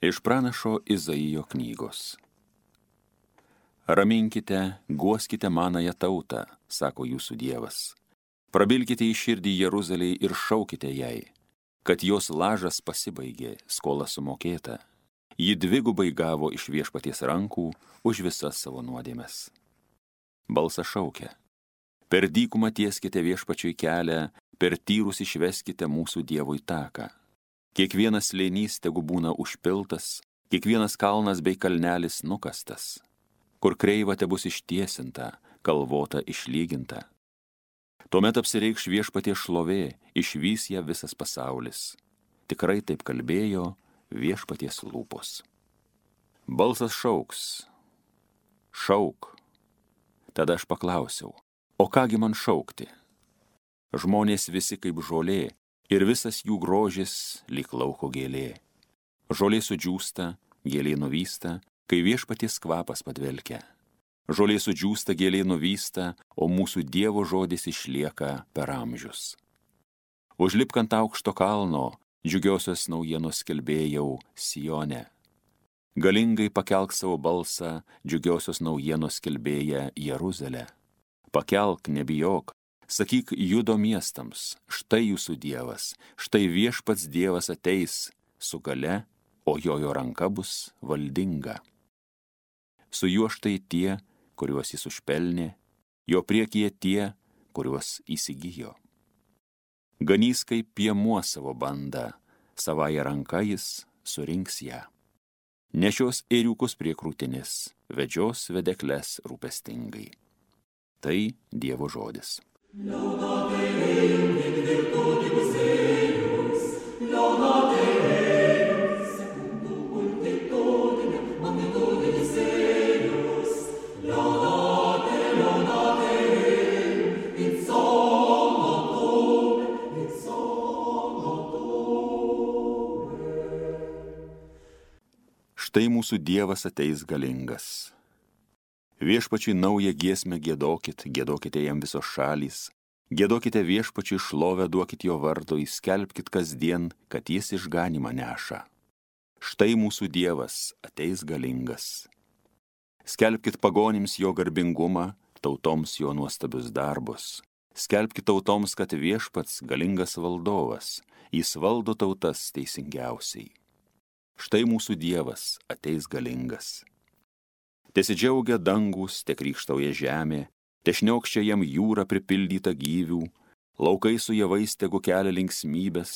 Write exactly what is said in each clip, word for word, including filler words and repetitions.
Iš pranašo Izaijo knygos. Raminkite, guoskite manąją tautą, sako jūsų Dievas. Prabilkite į širdį Jeruzalei ir šaukite jai, kad jos lažas pasibaigė, skola sumokėta. Ji dvigubai gavo iš Viešpaties rankų už visas savo nuodėmes. Balsas šaukia. Per dykumą tieskite Viešpačiui kelią, per tyrus išveskite mūsų Dievui taką. Kiekvienas slėnys tegu būna užpiltas, kiekvienas kalnas bei kalnelis nukastas. Kur kreiva te bus ištiesinta, kalvota išlyginta. Tuomet apsireikš Viešpaties šlovė, išvys ją visas pasaulis. Tikrai taip kalbėjo Viešpaties lūpos. Balsas šauks. Šauk. Tada aš paklausiau, o kągi man šaukti? Žmonės visi kaip žolė, ir visas jų grožis lyg lauko gėlė. Žolė sudžiūsta, gėlė nuvysta, kai Viešpaties kvapas padvelkia. Žolė sudžiūsta, gėlė nuvysta, o mūsų Dievo žodis išlieka per amžius. Užlipk ant aukšto kalno, džiugiosios naujienos skelbėjau Sione. Galingai pakelk savo balsą, džiugiosios naujienos skelbėja Jeruzalę. Pakelk, nebijok, sakyk Judo miestams, štai jūsų Dievas, štai Viešpats Dievas ateis su gale, o jojo ranka bus valdinga. Su juo štai tie, kuriuos jis užpelnė, jo priekyje tie, kuriuos įsigijo. Ganys kaip piemuo savo bandą, savąją ranką jis surinks ją. Nešios ėriukus prie krūtinės, vedžios vedekles rūpestingai. Tai Dievo žodis. Laudate Deum in virtutibus eius, laudate Deum secundum multitudinem magnitudis eius, laudate, laudate Deum in somno tuum, in somno tuum. Štai mūsų Dievas ateis galingas. Viešpačiui naują giesmę giedokit, giedokite jam visos šalys, giedokite Viešpačiui šlovę, duokit jo vardui, skelbkit kasdien, kad jis išganymą neša. Štai mūsų Dievas ateis galingas. Skelbkit pagonims jo garbingumą, tautoms jo nuostabius darbus. Skelbkit tautoms, kad Viešpats galingas valdovas, jis valdo tautas teisingiausiai. Štai mūsų Dievas ateis galingas. Tesidžiaugia dangus, te krykštauja žemė, te šniokščia jam jūra pripildyta gyvių, laukai su javais tegu kelia linksmybės,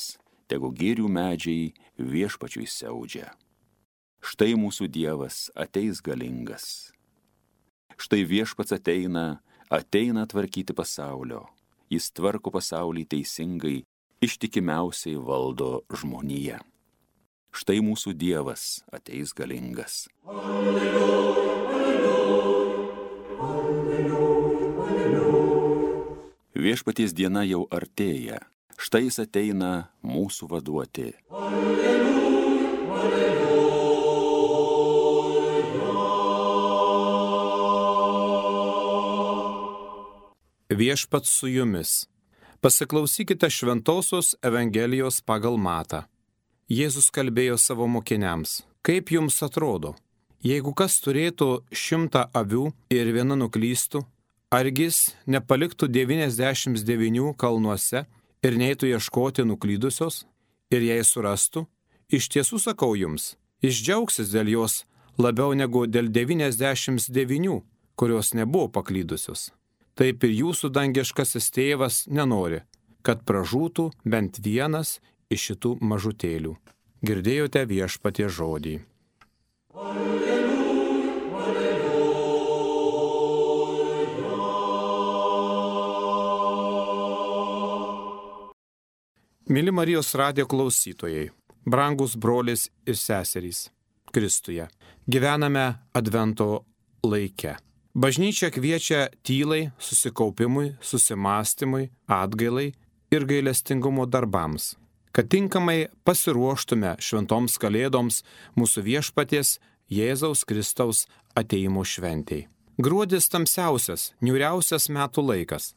tegu girių medžiai Viešpačiui siaudžia. Štai mūsų Dievas ateis galingas. Štai Viešpats ateina, ateina tvarkyti pasaulio. Jis tvarko pasaulį teisingai, ištikimiausiai valdo žmoniją. Štai mūsų Dievas ateis galingas. Alleluja. Viešpaties diena jau artėja, štai jis ateina mūsų vaduoti. Alleluja, alleluja. Viešpats su jumis. Pasiklausykite šventosios Evangelijos pagal Matą. Jėzus kalbėjo savo mokiniams, kaip jums atrodo, jeigu kas turėtų šimtą avių ir viena nuklystų, argi jis nepaliktų devyniasdešimt devynių kalnuose ir neitų ieškoti nuklydusios, ir jei surastų, iš tiesų sakau jums, jis džiaugsis dėl jos labiau negu dėl devyniasdešimt devynių, kurios nebuvo paklydusios. Taip ir jūsų dangiškasis tėvas nenori, kad pražūtų bent vienas iš šitų mažutėlių. Girdėjote Viešpaties žodį. Alleluja, alleluja. Mili Marijos radijo klausytojai, brangus brolis ir seserys Kristuje, gyvename Advento laike. Bažnyčia kviečia tylai, susikaupimui, susimastymui, atgailai ir gailestingumo darbams, kad tinkamai pasiruoštume šventoms kalėdoms mūsų Viešpaties Jėzaus Kristaus atėjimo šventei. Gruodis tamsiausias, niūriausias metų laikas.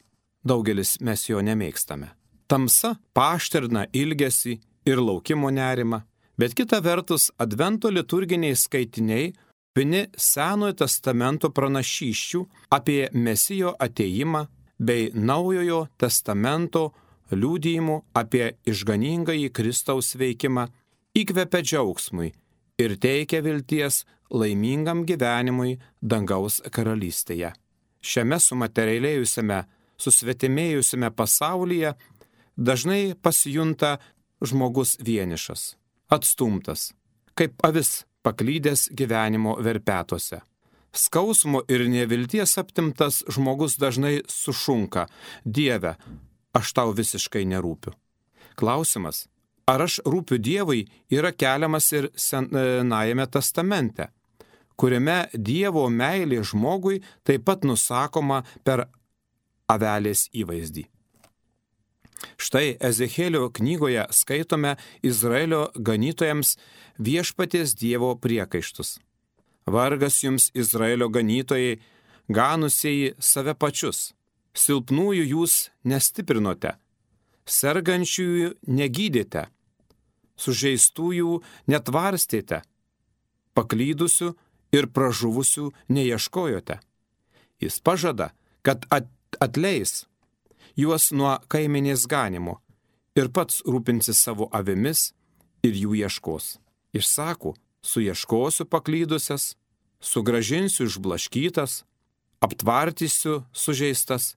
Daugelis mes jo nemėgstame. Tamsa paaštrina ilgesį ir laukimo nerimą, Bet kita vertus, Advento liturginiai skaitiniai pini Senojo testamento pranašysčių apie Mesijo atėjimą bei Naujojo testamento liudijimų apie išganingąjį Kristaus veikimą, įkvepia džiaugsmui ir teikia vilties laimingam gyvenimui dangaus karalystėje. Šiame sumaterialėjusiame, susvetimėjusiame pasaulyje dažnai pasijunta žmogus vienišas, atstumtas, kaip avis paklydęs gyvenimo verpetuose. Skausmo ir nevilties aptimtas žmogus dažnai sušunka: Dieve, aš tau visiškai nerūpiu. Klausimas, ar aš rūpiu Dievui, yra keliamas ir Senajame testamente, kuriame Dievo meilė žmogui taip pat nusakoma per avelės įvaizdį. Štai Ezechielio knygoje skaitome Izraelio ganytojams viešpaties Dievo priekaištus. Vargas jums, Izraelio ganytojai, ganusieji save pačius. Silpnųjų jūs nestiprinote, sergančiųjų negydėte, sužeistųjų netvarstėte, paklydusių ir pražuvusių neieškojote. Jis pažada, kad atleis juos nuo kaimenės ganimo ir pats rūpinsis savo avimis ir jų ieškos. Išsako, suieškosiu paklydusias, sugražinsiu išblaškytas, aptvartysiu sužeistas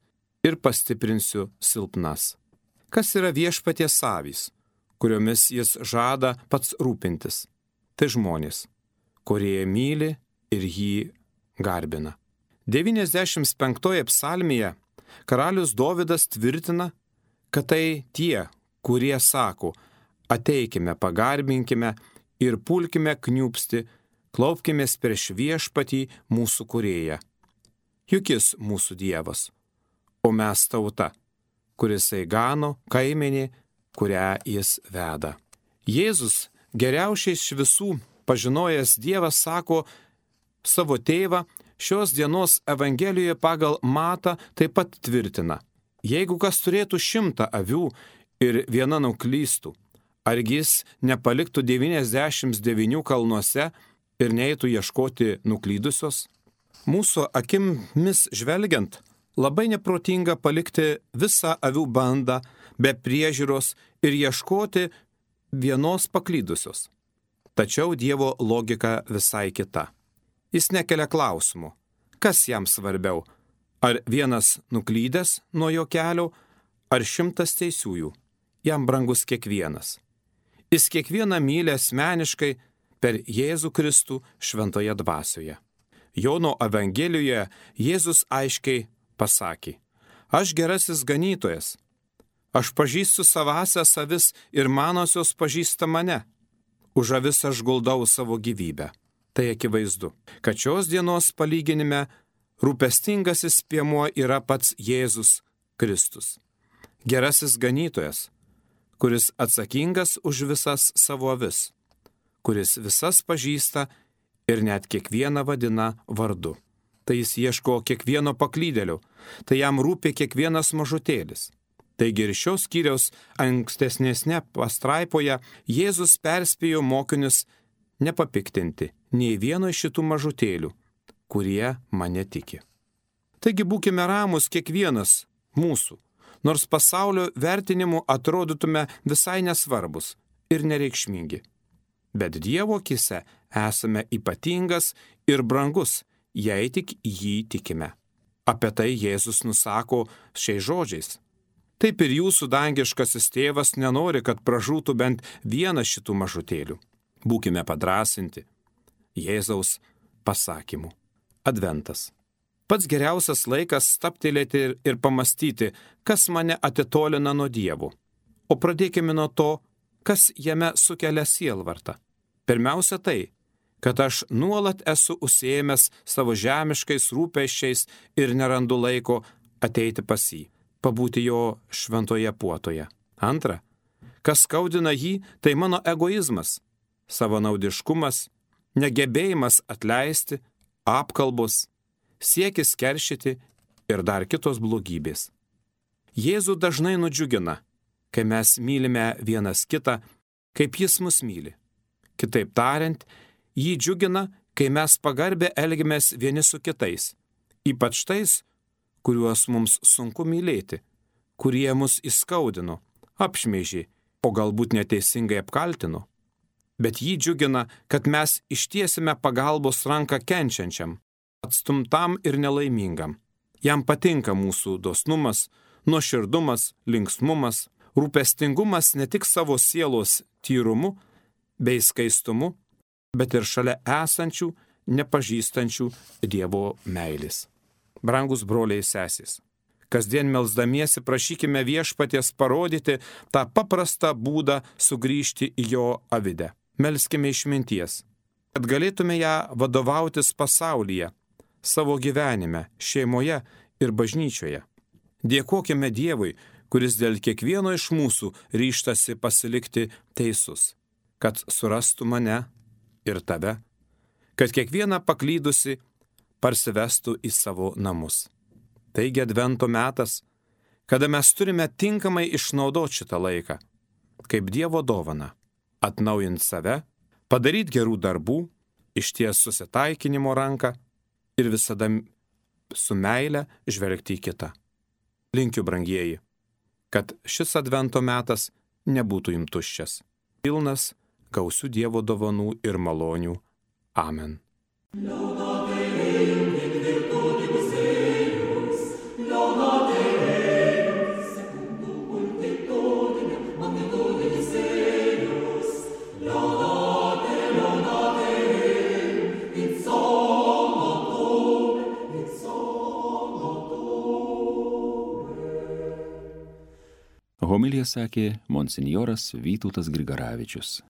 ir pastiprinsiu silpnas. Kas yra viešpaties avys, kuriomis jis žada pats rūpintis? Tai žmonės, kurie myli ir jį garbina. devyniasdešimt penktoje psalmėje karalius Dovydas tvirtina, kad tai tie, kurie sako: ateikime, pagarbinkime ir pulkime kniūpsti, klaupkimės prieš viešpatį mūsų kūrėją. Juk jis mūsų Dievas, o mes tauta, kuris gano kaimenė, kurią jis veda. Jėzus, geriausiai iš visų pažinojęs Dievas, sako savo tėvą, šios dienos Evangelijoje pagal Matą taip pat tvirtina: jeigu kas turėtų šimtą avių ir viena nuklystų, argi jis nepaliktų devyniasdešimt devynių kalnuose ir neitų ieškoti nuklydusios? Mūsų akimis žvelgiant, labai neprotinga palikti visą avių bandą be priežiūros ir ieškoti vienos paklydusios. Tačiau Dievo logika visai kita. Jis nekelia klausimų, kas jam svarbiau, ar vienas nuklydęs nuo jo kelio, ar šimtas teisiųjų. Jam brangus kiekvienas. Jis kiekvieną myli asmeniškai per Jėzų Kristų šventoje dvasioje. Jono Evangelijoje Jėzus aiškiai pasakė: aš gerasis ganytojas, aš pažįstu savąsias avis ir manosios pažįsta mane. Už avis aš guldau savo gyvybę. Tai akivaizdu, kad šios dienos palyginime rūpestingasis piemuo yra pats Jėzus Kristus. Gerasis ganytojas, kuris atsakingas už visas savo avis, kuris visas pažįsta ir net kiekvieną vadina vardu. Tai jis ieško kiekvieno paklydėlio, tai jam rūpi kiekvienas mažutėlis. Taigi ir šios skyriaus ankstesnėsne pastraipoje Jėzus perspėjo mokinius nepapiktinti nei vieno iš šitų mažutėlių, kurie mane tiki. Taigi būkime ramus kiekvienas mūsų, nors pasaulio vertinimu atrodytume visai nesvarbus ir nereikšmingi. Bet Dievo akyse esame ypatingas ir brangus, jei tik jį tikime. Apie tai Jėzus nusako šiais žodžiais: taip ir jūsų dangiškasis tėvas nenori, kad pražūtų bent vienas šitų mažutėlių. Būkime padrąsinti Jėzaus pasakymu. Adventas. Pats geriausias laikas stabtelėti ir, ir pamastyti, kas mane atitolina nuo Dievo. O pradėkime nuo to, kas jame sukelia sielvartą. Pirmiausia tai, kad aš nuolat esu užsiėmęs savo žemiškais rūpesčiais ir nerandu laiko ateiti pas jį, pabūti jo šventoje puotoje. Antra, kas skaudina jį, tai mano egoizmas, savanaudiškumas, negebėjimas atleisti, apkalbos, siekis keršyti ir dar kitos blogybės. Jėzų dažnai nudžiugina, kai mes mylime vienas kitą, kaip jis mus myli. Kitaip tariant, jį džiugina, kai mes pagarbę elgiamės vieni su kitais, ypač tais, kuriuos mums sunku mylėti, kurie mus įskaudino, apšmeižė, o galbūt neteisingai apkaltino. Bet jį džiugina, kad mes ištiesime pagalbos ranką kenčiančiam, atstumtam ir nelaimingam. Jam patinka mūsų dosnumas, nuoširdumas, linksmumas, rūpestingumas ne tik savo sielos tyrumu bei skaistumu, bet ir šalia esančių, nepažįstančių Dievo meilės. Brangus broliai sesės, kasdien melsdamiesi prašykime Viešpaties parodyti tą paprastą būdą sugrįžti į jo avidę. Melskime išminties, kad galėtume ją vadovautis pasaulyje, savo gyvenime, šeimoje ir bažnyčioje. Dėkokime Dievui, kuris dėl kiekvieno iš mūsų ryžtasi pasilikti teisus, kad surastų mane ir tave, kad kiekvieną paklydusi parsivestų į savo namus. Taigi advento metas, kada mes turime tinkamai išnaudoti šitą laiką, kaip Dievo dovana, atnaujinti save, padaryti gerų darbų, išties susitaikinimo ranką ir visada su meile žvelgti į kitą. Linkiu, brangieji, kad šis advento metas nebūtų jums tuščias, pilnas gausių Dievo dovanų ir malonių. Amen. Homiliją sakė monsinjoras Vytautas Grigaravičius.